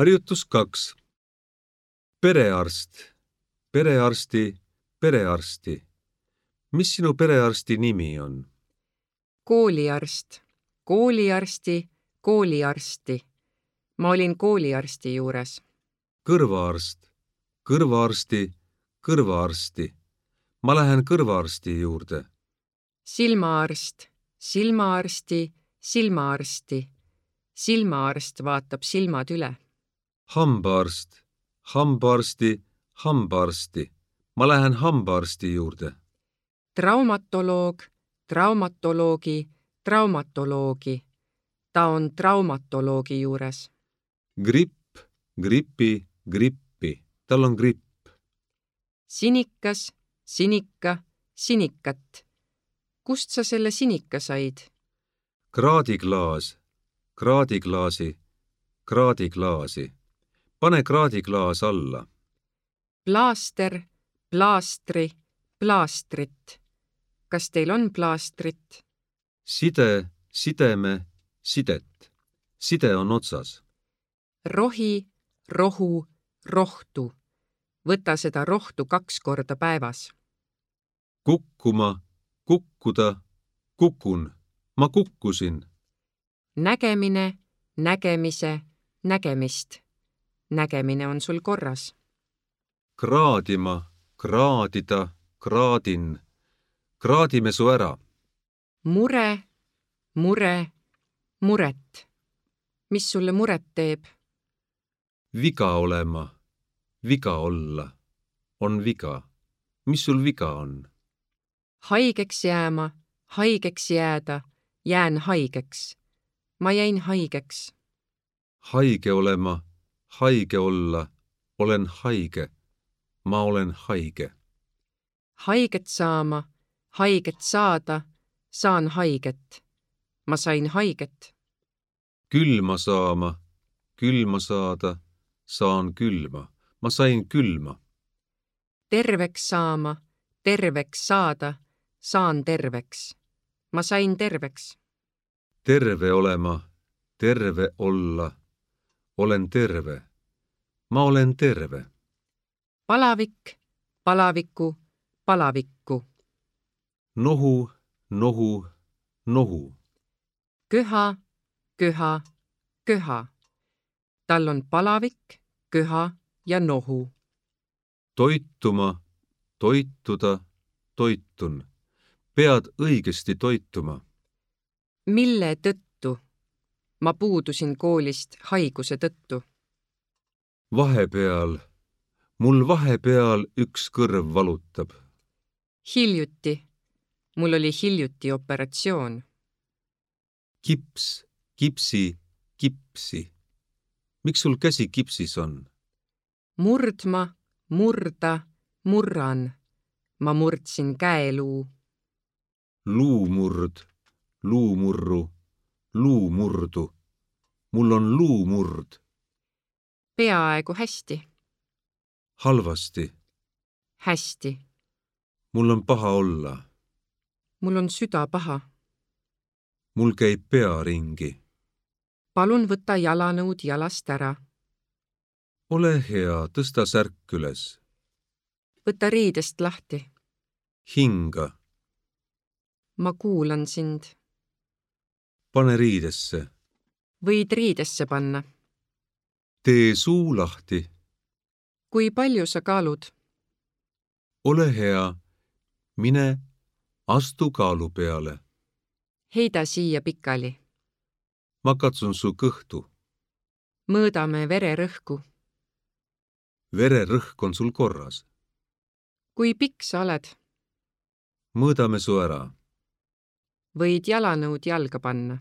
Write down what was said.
Harjutus 2. Perearst, perearsti, perearsti. Mis sinu perearsti nimi on? Kooliarst, kooliarsti, kooliarsti. Ma olin kooliarsti juures. Kõrvaarst, kõrvaarsti, kõrvaarsti. Ma lähen kõrvaarsti juurde. Silmaarst, silmaarsti, silmaarsti. Silmaarst vaatab silmad üle. Hambaarst, hambaarsti, hambaarsti. Ma lähen hambaarsti juurde. Traumatoloog, traumatoloogi, traumatoloogi. Ta on traumatoloogi juures. Gripp, gripi, grippi. Tal on gripp. Sinikas, sinika, sinikat. Kust sa selle sinika said? Kraadiklaas, kraadiklaasi, kraadiklaasi. Pane kraadiklaas alla. Plaaster, plaastri, plaastrit. Kas teil on plaastrit? Side, sideme, sidet. Side on otsas. Rohi, rohu, rohtu. Võta seda rohtu 2 korda päevas. Kukkuma, kukkuda, kukun. Ma kukkusin. Nägemine, nägemise, nägemist. Nägemine on sul korras. Kraadima, kraadida, kraadin. Kraadime su ära. Mure, mure, muret. Mis sulle muret teeb? Viga olema, viga olla. On viga. Mis sul viga on? Haigeks jääma, haigeks jääda, jään haigeks. Ma jäin haigeks. Haige olema, haige olla. Olen haige. Ma olen haige. Haiget saama, haiget saada, saan haiget. Ma sain haiget. Külma saama, külma saada, saan külma. Ma sain külma. Terveks saama, terveks saada, saan terveks. Ma sain terveks. Terve olema, terve olla. Olen terve. Ma olen terve. Palavik, palaviku, palavikku. Nohu, nohu, nohu. Köha, köha, köha. Tal on palavik, köha ja nohu. Toituma, toituda, toitun. Pead õigesti toituma. Mille tõttu? Ma puudusin koolist haiguse tõttu. Vahepeal, mul vahepeal üks kõrv valutab. Hiljuti. Mul oli hiljuti operatsioon. Kips, kipsi, kipsi. Miks sul käsi kipsis on? Murdma, murda, murran. Ma murdsin käeluu. Luumurd, luumurru, luumurdu. Mul on luumurd. Peaaegu hästi. Halvasti. Hästi. Mul on paha olla. Mul on süda paha. Mul käib pea ringi. Palun võta jalanõud jalast ära. Ole hea, tõsta särk üles. Võta riidest lahti. Hinga. Ma kuulan sind. Pane riidesse. Võid riidesse panna. Tee suu lahti. Kui palju sa kaalud? Ole hea. Mine, astu kaalu peale. Heida siia pikali. Ma katsun su kõhtu. Mõõdame vererõhku. Vererõhk on sul korras. Kui pikk sa oled? Mõõdame su ära. Võid jalanõud jalga panna.